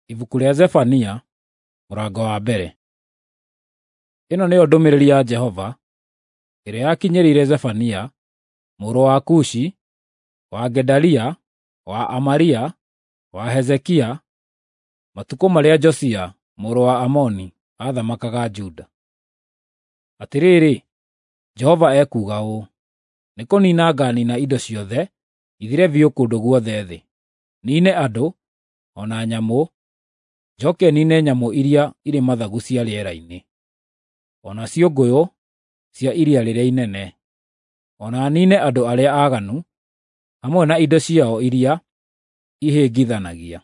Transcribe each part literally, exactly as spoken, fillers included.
Ibuku rĩa Zefania, mũrango wa mbere. Ĩno nĩyo ndũmĩrĩri ya Jehova ĩrĩa yakinyĩrĩire Zefania mũrũ wa Kushi, wa Gedalia, wa Amaria, wa Hezekia, matukũ marĩa Josia mũrũ wa Amoni aathamakaga Juda. Atĩrĩrĩ, Jehova ekuuga ũũ: Nĩkũniina ngaaniina indo ciothe ithire biũ kũndũ guothe thĩ, niine andũ, o na nyamũ, njooke niine nyamũ iria irĩ mathagu cia rĩera-inĩ, o na ciũngũyũ cia iria rĩrĩa inene, o na niine andũ arĩa aaganu hamwe na indo ciao iria ihĩngithanagia,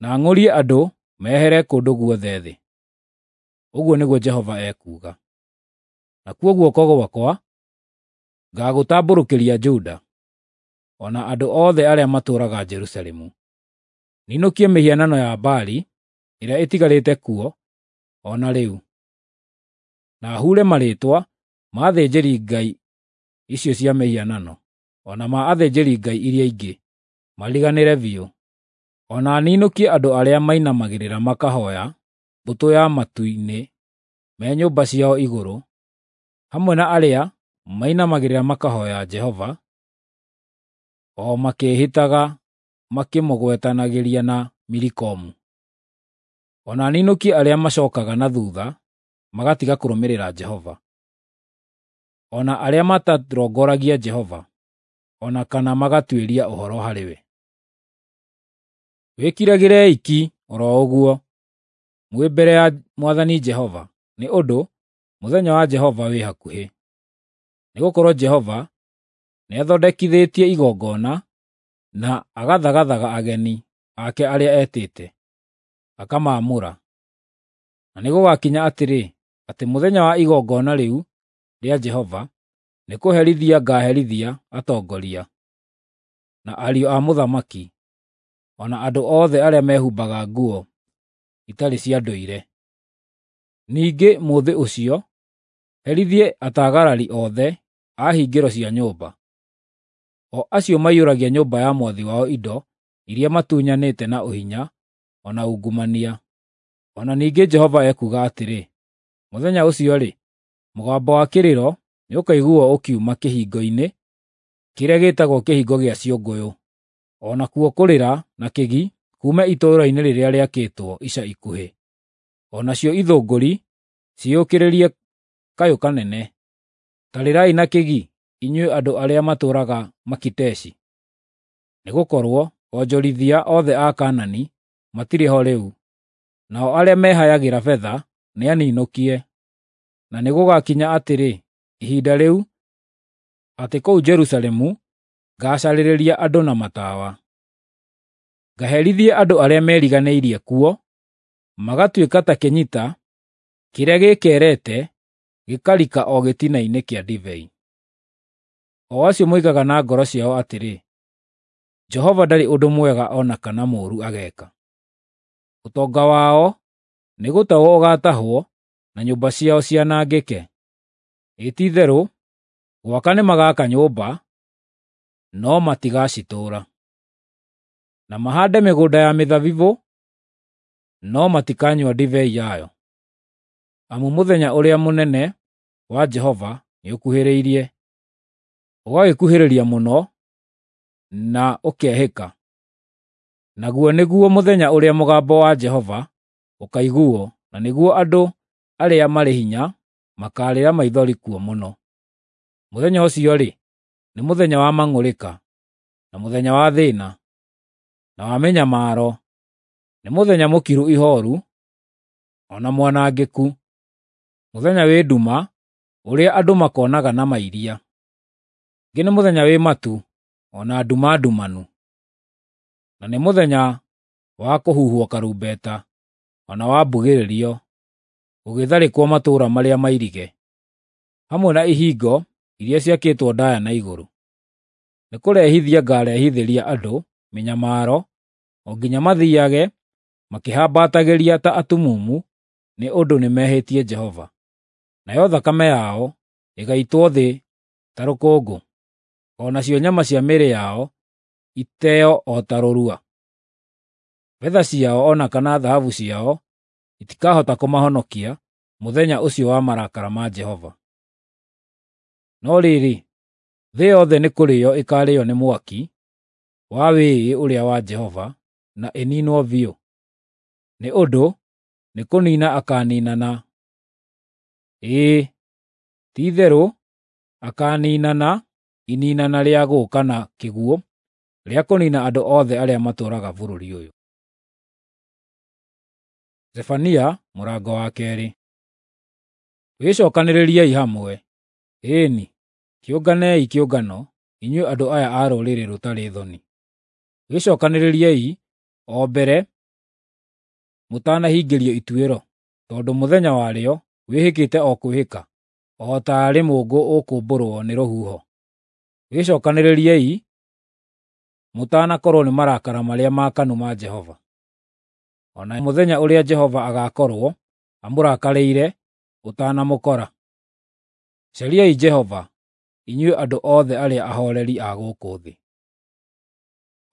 na ng'ũrie andũ mehere kũndũ guothe thĩ,” ũguo nĩguo Jehova ekuuga. Nakuo guoko gwakwa ngaagũtambũrũkĩria Juda, o na andũ othe arĩa matũũraga Jerusalemu, ninũkie mĩhianano ya Baali ĩrĩa ĩtigarĩte kuo o na rĩu, na huure marĩĩtwa ma athĩnjĩri-ngai icio cia mĩhianano, o na ma athĩnjĩri-ngai iria ingĩ, mariganĩre biũ, o na ninũkie andũ arĩa mainamagĩrĩra makahooya mbũtũ ya matu-inĩ me nyũmba ciao igũrũ, hamwe na arĩa mainamagĩrĩra makahooya Jehova, o makĩĩhĩtaga makĩmũgwetanagĩria na Milikomu. O na ninũkie arĩa macookaga na thuutha magatiga kũrũmĩrĩra Jehova, o na arĩa matarongoragia Jehova, o na kana magatuĩria ũhoro harĩ we. Wĩkiragĩrei ki o ro ũguo mwĩ mbere ya Mwathani Jehova, nĩ ũndũ mũthenya wa Jehova wĩ hakuhĩ. Nĩgũkorwo Jehova nĩathondekithĩtie igongona na agathagathaga ageni ake arĩa etĩte, akamaamũra. Na nĩgũgakinya atĩrĩ, atĩ mũthenya wa igongona rĩu rĩa Jehova, nĩkũherithia ngaaherithia atongoria, na ariũ a mũthamaki, o na andũ othe arĩa mehumbaga nguo itarĩ cia ndũire. Ningĩ mũthĩ ũcio herithie atagarari othe a hingĩro cia nyũmba, o acio maiyũragia nyũmba ya mwathi wao indo iria matunyanĩte na ũhinya o na ungumania. O na ningĩ Jehova ekuuga atĩrĩ, mũthenya ũcio-rĩ, mũgambo wa kĩrĩro nĩũkaiguuo ũkiuma kĩhingo-inĩ kĩrĩa gĩĩtagwo Kĩhingo gĩa Ciũngũyũ, o nakuo kũrĩra na kĩgi kuume itũũra-inĩ rĩrĩa rĩakĩtwo ica ikuhĩ, o nacio ithũngũri ciyũkĩrĩrie kayũ kanene. Ta rĩrai na kĩgi, inyuĩ andũ arĩa matũũraga Makiteshi, nĩgũkorwo onjorithia othe a Kaanani matirĩ ho rĩu, nao arĩa mehayagĩra betha nĩaninũkie. Na nĩgũgakinya atĩrĩ, ihinda rĩu, atĩ kũu Jerusalemu ngaacarĩria andũ na matawa. Ngaherithie andũ arĩa meriganĩirie kuo, magatuĩka ta kĩnyita kĩrĩa gĩĩkerete gĩkarika o gĩtina-inĩ kĩa ndibei. O acio moigaga na ngoro ciao atĩrĩ, “Jehova ndarĩ ũndũ mwega o na kana mũũru ageeka.” Ũtonga wao nĩgũtahwo ũgaatahwo na nyũmba ciao cianangĩke. Ĩ ti-itherũ gwaka nĩmagaka nyũmba, no matigacitũũra, na mahaande mĩgũnda ya mĩthabibũ, no matikanyua ndibei yayo. Amu mũthenya ũrĩa mũnene wa Jehova nĩũkuhĩrĩirie, ũgagĩkuhĩrĩria mũno na ũkehĩka. Naguo nĩguo mũthenya ũrĩa mũgambo wa Jehova ũkaiguuo, na nĩguo andũ arĩa marĩ hinya makaarĩra maithori kuo mũno. Mũthenya ũcio-rĩ, nĩ mũthenya wa mang'ũrĩka, na mũthenya wa thĩĩna, na wa mĩnyamaro, nĩ mũthenya mũkiru ihooru, o na mwanangĩku, mũthenya wĩ nduma ũrĩa andũ makonaga na mairia. Ningĩ nĩ mũthenya wĩ matu o na nduma ndumanu, na nĩ mũthenya wa kũhuhwo karumbeta o na wa mbugĩrĩrio, gũgĩtharĩkwo matũũra marĩa mairige, hamwe na ihingo iria ciakĩtwo ndaaya na igũrũ. Nĩkũrehithia ngaarehithĩria andũ mĩnyamaro o nginya mathiiage makĩhambatagĩria ta atumumu nĩ ũndũ nĩmehĩtie Jehova, nayo thakame yao ĩgaitwo thĩ ta rũkũngũ, o nacio nyama cia mĩĩrĩ yao iteo o ta rũrua. Betha ciao o na kana thahabu ciao itikahota kũmahonokia mũthenya ũcio wa marakara ma Jehova. No rĩrĩ, thĩ yothe nĩ kũrĩo ĩkaarĩo nĩ mwaki wa wĩĩ ũrĩa wa Jehova, na ĩniinwo biũ. Nĩ ũndũ nĩ kũniina akaaniinana. Ĩĩ, ti-itherũ akaaniinana iniinana rĩa gũũka na kĩguũ rĩa kũniina andũ othe arĩa matũũraga bũrũri ũyũ. Zefania mũrango wa keerĩ. Wĩcookanĩrĩriei hamwe, ĩĩ-ni, kĩũnganei kĩũngano, inyuĩ andũ aya a rũrĩrĩ rũtarĩ thoni. Wĩcookanĩrĩriei o mbere mũtanahingĩrio ituĩro, tondũ mũthenya warĩo wĩhĩkĩte o kwĩhĩka, o taarĩ mũũngũ ũkũmbũrwo nĩ rũhuho. Wĩcookanĩrĩriei mũtanakorwo nĩ marakara marĩa maakanu ma Jehova, o na mũthenya ũrĩa Jehova agaakorwo amũrakarĩire ũtanamũkora. Cariai Jehova, inyuĩ andũ othe arĩa ahooreri a gũkũ thĩ,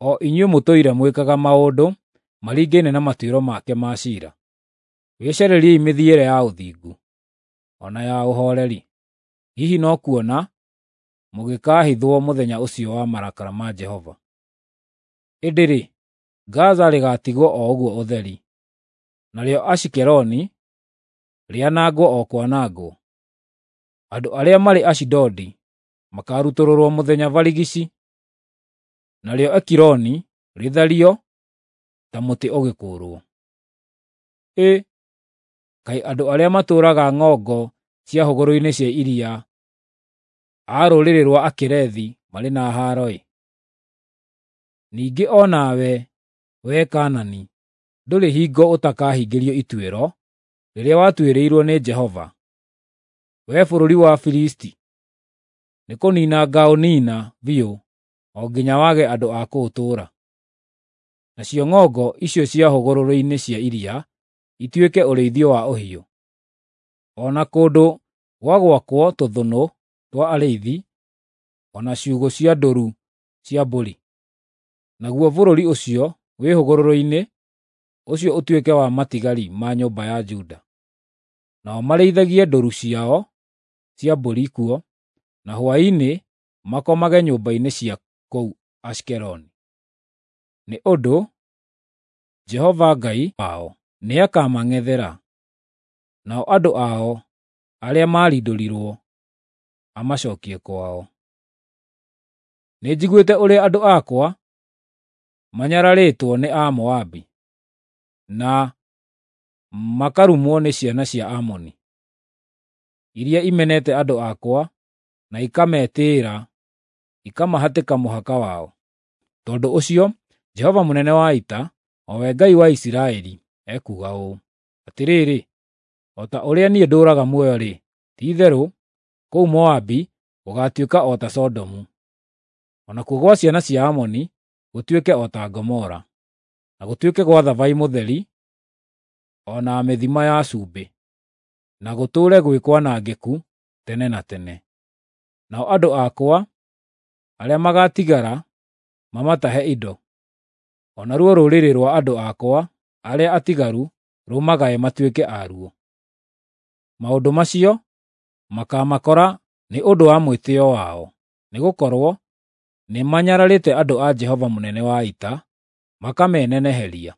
o inyuĩ mũtũire mwĩkaga maũndũ maringaine na matuĩro make ma ciira. Wĩcarĩriei mĩthiĩre ya ũthingu, o na ya ũhooreri. Hihi no kuona mũgĩkaahithwo mũthenya ũcio wa marakara ma Jehova. Ĩndĩ-rĩ, Gaza rĩgaatigwo o ũguo ũtheri, narĩo Ashikeloni rĩanangwo o kwanangwo. Andũ arĩa marĩ Ashidodi makaarutũrũrwo mũthenya barigici, narĩo Ekironi rĩthario ta mũtĩ ũgĩkũũrwo. Ĩ, kaĩ andũ arĩa matũũraga ng'ongo cia hũgũrũrũ-inĩ cia iria a rũrĩrĩ rwa Akerethi marĩ na haaro-ĩ! Ningĩ o nawe, wee Kaanani, ndũrĩ hingo ũtakahingĩrio ituĩro rĩrĩa watuĩrĩirwo nĩ Jehova. Wee bũrũri wa Filisti, nĩkũniina ngaũniina biũ o nginya wage andũ a kũũtũũra. Nacio ng'ongo icio cia hũgũrũrũ-inĩ cia iria ituĩke ũrĩithio wa ũhiũ, o na kũndũ gwa gwakwo tũthũnũ twa arĩithi, o na ciugũ cia ndũũru cia mbũri. Naguo bũrũri ũcio wĩ hũgũrũrũ-inĩ ũcio ũtuĩke wa matigari ma nyũmba ya Juda. Nao marĩithagie ndũũru ciao cia mbũri kuo, na hwaĩ-inĩ makomage nyũmba-inĩ cia kũu Ashikeloni. Nĩ ũndũ Jehova Ngai wao nĩakamang'ethera, nao andũ ao arĩa maarindũrirwo amacookie kwao. Nĩnjiguĩte ũrĩa andũ akwa manyararĩtwo nĩ Amoabi, na makarumwo nĩ ciana cia Amoni, iria imenete andũ akwa na ikametĩĩra ikamahatĩka mũhaka wao. Tondũ ũcio Jehova mũnene wa ita, o we Ngai wa Isiraeli, ekuuga ũũ: Atĩrĩrĩ, o ta ũrĩa niĩ ndũũraga muoyo-rĩ, ti-itherũ kũu Moabi gũgaatuĩka o ta Sodomu, o nakuo gwa ciana cia Amoni gũtuĩke o ta Gomora, na gũtuĩke gwa thabai mũtheri o na mĩthima ya cumbĩ, na gũtũũre gwĩ kwanangĩku tene na tene. Nao andũ akwa arĩa magaatigara mamatahe indo, o naruo rũrĩrĩ rwa andũ akwa arĩa atigaru rũmagae matuĩke aruo. Maũndũ macio makaamakora nĩ ũndũ wa mwĩtĩĩo wao, nĩgũkorwo nĩmanyararĩte andũ a Jehova mũnene wa ita, makameneneheria.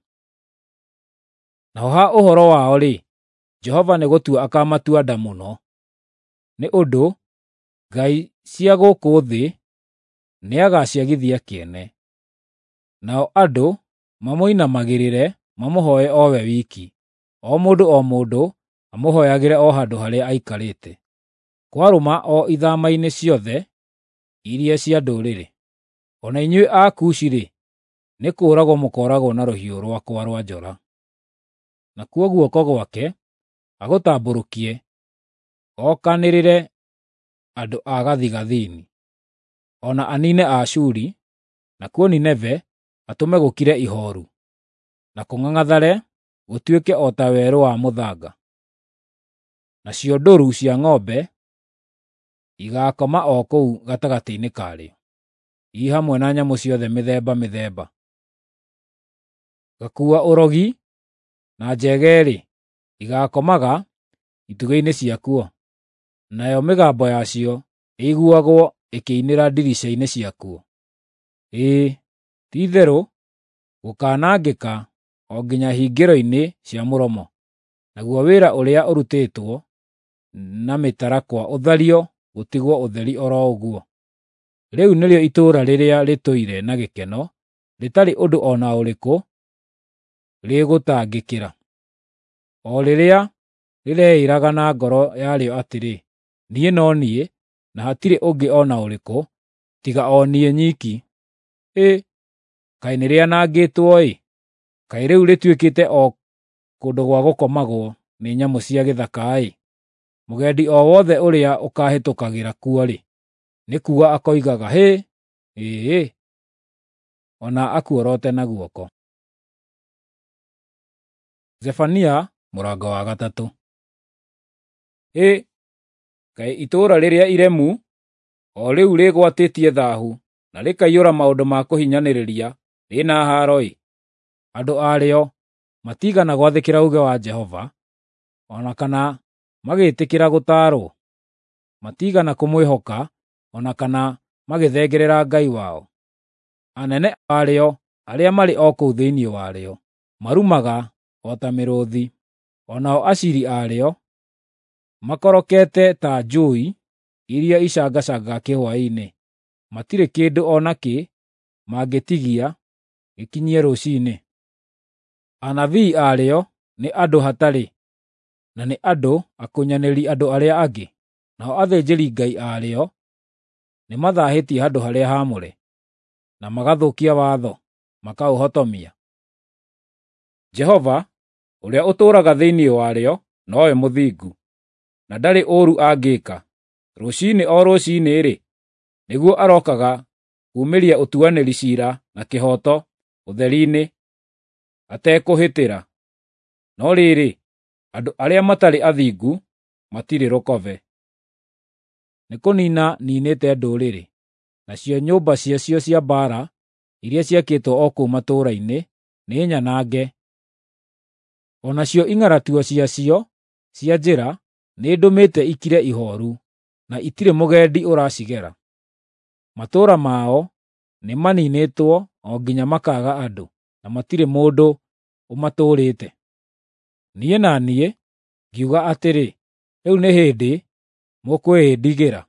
Naho ha ũhoro wao-rĩ, Jehova nĩgũtua akaamatua nda mũno, nĩ ũndũ ngai cia gũkũ thĩ nĩagaciagithia kĩene, nao andũ mamũinamagĩrĩre mamũhooe o we wiki, o mũndũ o mũndũ amũhooyagĩre o handũ harĩa aikarĩte, kwarũma o ithama-inĩ ciothe iria cia ndũrĩrĩ. O na inyuĩ Akushi-rĩ, nĩ kũũragwo mũkooragwo na rũhiũ rwakwa rwa njora. Nakuo guoko gwake agũtambũrũkie okanĩrĩre andũ a gathigathini, o na aniine Aashuri, nakuo Nineve atũme gũkire ihooru, na kũng'ang'athare gũtuĩke o ta werũ wa mũthanga. Nacio ndũũru cia ng'ombe igaakoma o kũu gatagatĩ-inĩ karĩo, i hamwe na nyamũ ciothe mĩthemba mĩthemba. Gakuua ũrogi na njegere-rĩ, igaakomaga itugĩ-inĩ ciakuo, nayo mĩgambo yacio ĩiguagwo ĩkĩinĩra ndirica-inĩ ciakuo. Ĩĩ, ti-itherũ gũkaanangĩka o nginya hingĩro-inĩ cia mũromo, naguo wĩra ũrĩa ũrutĩtwo na mĩtarakwa ũthario gũtigwo ũtheri o ro ũguo. Rĩu nĩrĩo itũũra rĩrĩa rĩtũire na gĩkeno, rĩtarĩ ũndũ o na ũrĩkũ rĩgũtangĩkĩra, o rĩrĩa rĩreĩĩraga na ngoro yarĩo atĩrĩ, “Niĩ no niĩ, na hatirĩ ũngĩ o na ũrĩkũ, tiga o niĩ nyiki.” Ĩ, kaĩ nĩrĩanangĩtwo-ĩ! Kaĩ rĩu rĩtuĩkĩte o kũndũ gwa gũkomagwo nĩ nyamũ cia gĩthaka-ĩ! Mũgendi o wothe ũrĩa ũkaahĩtũkagĩra kuo-rĩ, nĩ kuuga akoigaga, “Hĩ! Ĩĩ!” o na akuorote na guoko. Zefania mũrango wa gatatũ. Hĩ, kaĩ itũũra rĩrĩa iremu, o rĩu rĩgwatĩtie thaahu na rĩkaiyũra maũndũ ma kũhinyanĩrĩria, rĩna haaro-ĩ! Andũ arĩo matiigana gwathĩkĩra uuge wa Jehova, o na kana magĩĩtĩkĩra gũtaarwo. Matiigana kũmwĩhoka, o na kana magĩthengerera Ngai wao. Anene arĩo arĩa marĩ o kũu thĩinĩ warĩo marumaga o ta mĩrũũthi, o nao aciiri arĩo makorokete ta njũũi iria icangacangaga kĩhwaĩ-inĩ. Matirĩ kĩndũ o nakĩ mangĩtigia gĩkinyie rũciinĩ. Anabii arĩo nĩ andũ hatarĩ, na nĩ andũ akunyanĩri andũ arĩa angĩ, nao athĩnjĩri-Ngai arĩo nĩmathaahĩtie handũ-harĩa-haamũre, na magathũkia watho, makaũhotomia. Jehova, ũrĩa ũtũũraga thĩinĩ warĩo, nowe mũthingu, na ndarĩ ũũru angĩĩka. Rũciinĩ o rũciinĩ-rĩ, nĩguo arookaga kuumĩria ũtuanĩri ciira na kĩhooto ũtheri-inĩ, atekũhĩtĩra. No rĩrĩ, andũ arĩa matarĩ athingu matirĩ rũkobe. Nĩkũniina niinĩte ndũrĩrĩ, nacio nyũmba ciacio cia mbaara iria ciakĩtwo o kũu matũũra-inĩ nĩnyanange, o nacio ing'aratua ciacio cia njĩra nĩndũmĩte ikire ihooru, na itirĩ mũgendi ũracigera. Matũũra mao nĩmaniinĩtwo o nginya makaaga andũ, na matirĩ mũndũ ũmatũũrĩte. Niĩ na niĩ ngiuga atĩrĩ, “Rĩu nĩ hĩndĩ mũkwĩĩndigĩra,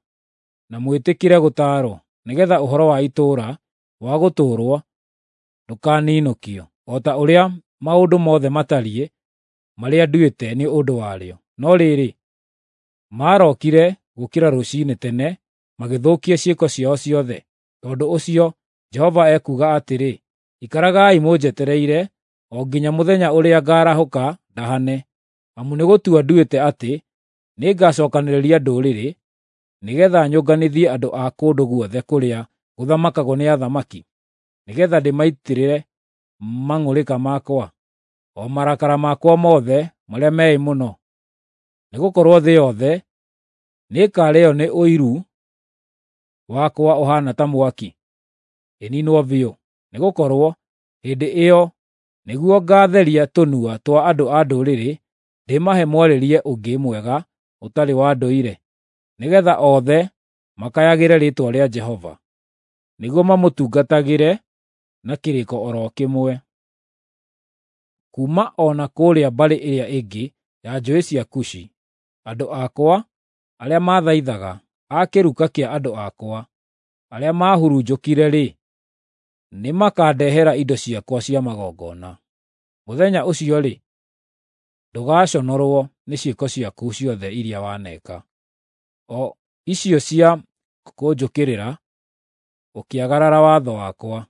na mwĩtĩkĩre gũtaarwo, nĩgeetha ũhoro wa itũũra wa gũtũũrwo ndũkaninũkio, o ta ũrĩa maũndũ mothe matariĩ marĩa nduĩte nĩ ũndũ warĩo.” No rĩrĩ, marookire gũũkĩra rũciinĩ tene magĩthũkia ciĩko ciao ciothe. Tondũ ũcio Jehova ekuuga atĩrĩ, “Ikaragai mũnjetereire o nginya mũthenya ũrĩa ngaarahũka ndahane, amu nĩgũtua nduĩte atĩ nĩngacookanĩrĩria ndũrĩrĩ, nĩgeetha nyũnganithie andũ a kũndũ guothe kũrĩa gũthamakagwo nĩ athamaki, nĩgeetha ndĩmaitĩrĩre mang'ũrĩka makwa, o marakara makwa mothe marĩa meĩ mũno. Nĩgũkorwo thĩ yothe nĩĩkarĩĩo nĩ ũiru wakwa ũhaana ta mwaki, ĩniinwo biũ. Nĩgũkorwo hĩndĩ ĩyo nĩguo ngaatheria tũnua twa andũ a ndũrĩrĩ, ndĩmahe mwarĩrie ũngĩ mwega ũtarĩ wa ndũire, nĩgeetha othe makayagĩre rĩĩtwa rĩa Jehova, nĩguo mamũtungatagĩre na kĩrĩko o ro kĩmwe. Kuuma o na kũrĩa mbarĩ ĩrĩa ĩngĩ ya njũũĩ cia Kushi, andũ akwa arĩa maathaithaga, a kĩruka kĩa andũ akwa arĩa maahurunjũkire-rĩ, nĩmakandehera indo ciakwa cia magongona. Mũthenya ũcio-rĩ, ndũgaconorwo nĩ ciĩko ciaku ciothe iria waneka, o icio cia kũnjũkĩrĩra ũkĩagarara watho wakwa.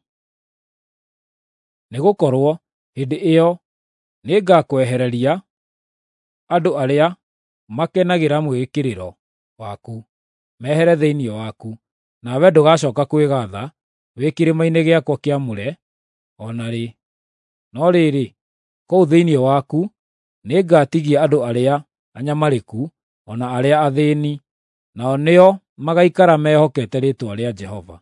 Nĩgũkorwo hĩndĩ ĩyo nĩngakwehereria andũ arĩa makenagĩra mwĩĩkĩrĩro waku mehere thĩinĩ waku, nawe ndũgacooka kwĩgaatha wĩ kĩrĩma-inĩ gĩakwa kĩamũre o na rĩ. No rĩrĩ, kũu thĩinĩ waku nĩngatigia andũ arĩa anyamarĩku o na arĩa athĩĩni, nao nĩo magaikara mehokete rĩĩtwa rĩa Jehova.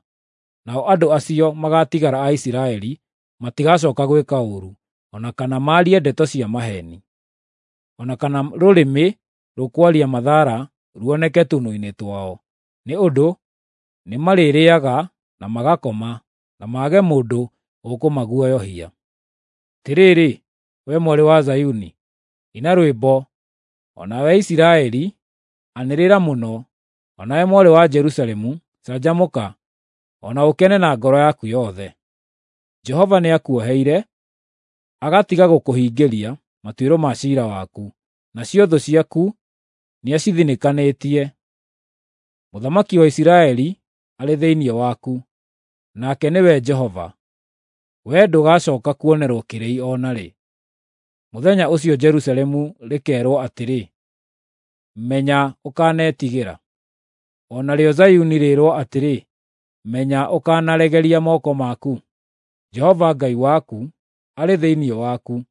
Nao andũ acio magaatigara a Isiraeli matigacooka gwĩka ũũru, o na kana maarie ndeto cia maheeni, o na kana rũrĩmĩ rũkwaria mathara ruoneke tũnua-inĩ twao, nĩ ũndũ nĩmarĩrĩĩaga na magakoma, na mage mũndũ ũkũmaguoyohia. Atĩrĩrĩ, wee mwarĩ wa Zayuni, ina rwĩmbo, o nawe Isiraeli, anĩrĩra mũno, o nawe mwarĩ wa Jerusalemu, canjamũka, o na ũkene na ngoro yaku yothe. Jehova nĩakuoheire, agatiga gũkũhingĩria matuĩro ma ciira waku, nacio thũ ciaku nĩacithinĩkanĩtie. Mũthamaki wa Isiraeli arĩ thĩinĩ waku, nake nĩwe Jehova. Wee ndũgacooka kuonerwo kĩrĩi o na rĩ. Mũthenya ũcio Jerusalemu rĩkeerwo atĩrĩ, “Menya ũkanetigĩra.” O narĩo Zayuni rĩĩrwo atĩrĩ, “Menya ũkanaregeria moko maku.” Jehova Ngai waku arĩ thĩinĩ waku,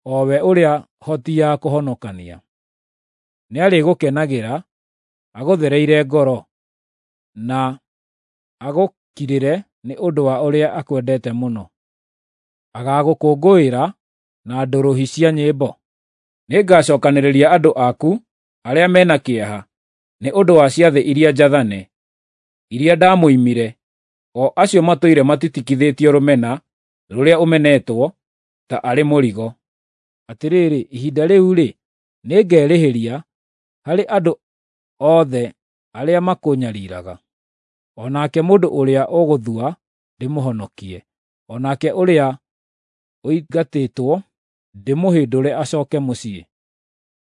o we ũrĩa hoti ya kũhonokania. Nĩarĩgũkenagĩra, agũthereire ngoro, na agũkirĩre nĩ ũndũ wa ũrĩa akwendete mũno. Agaagũkũngũĩra na ndũrũhĩ cia nyĩmbo. Nĩngacookanĩrĩria andũ aku arĩa me na kĩeha nĩ ũndũ wa ciathĩ iria njathane, iria ndamũimire, o acio matũire matitikithĩtio rũmena rũrĩa ũmenetwo ta arĩ mũrigo. Atĩrĩrĩ, ihinda rĩu-rĩ, nĩngerĩhĩria harĩ andũ othe arĩa makũnyariiraga. O nake mũndũ ũrĩa ũgũthua ndĩmũhonokie, o nake ũrĩa ũingatĩtwo ndĩmũhĩndũre acooke mũciĩ.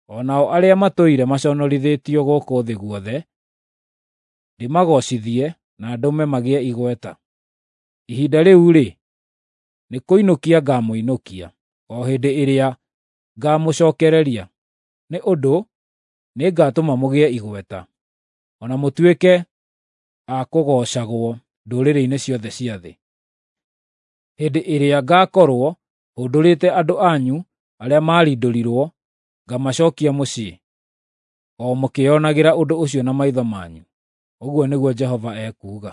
O nao arĩa matũire maconorithĩtio gũkũ thĩ guothe ndĩmagoocithie na ndũme magĩe igweta. Ihinda rĩu-rĩ, nĩkũinũkia ngaamũinũkia, o hĩndĩ ĩrĩa ngaamũcookereria, nĩ ũndũ nĩngatũma mũgĩe igweta, o na mũtuĩke a kũgoocagwo ndũrĩrĩ-inĩ ciothe cia thĩ. Hĩndĩ ĩrĩa ngaakorwo hũndũrĩte andũ anyu arĩa maarindũrirwo ngamacookia mũciĩ, o mũkĩĩonagĩra ũndũ ũcio na maitho manyu, ũguo nĩguo Jehova ekuuga.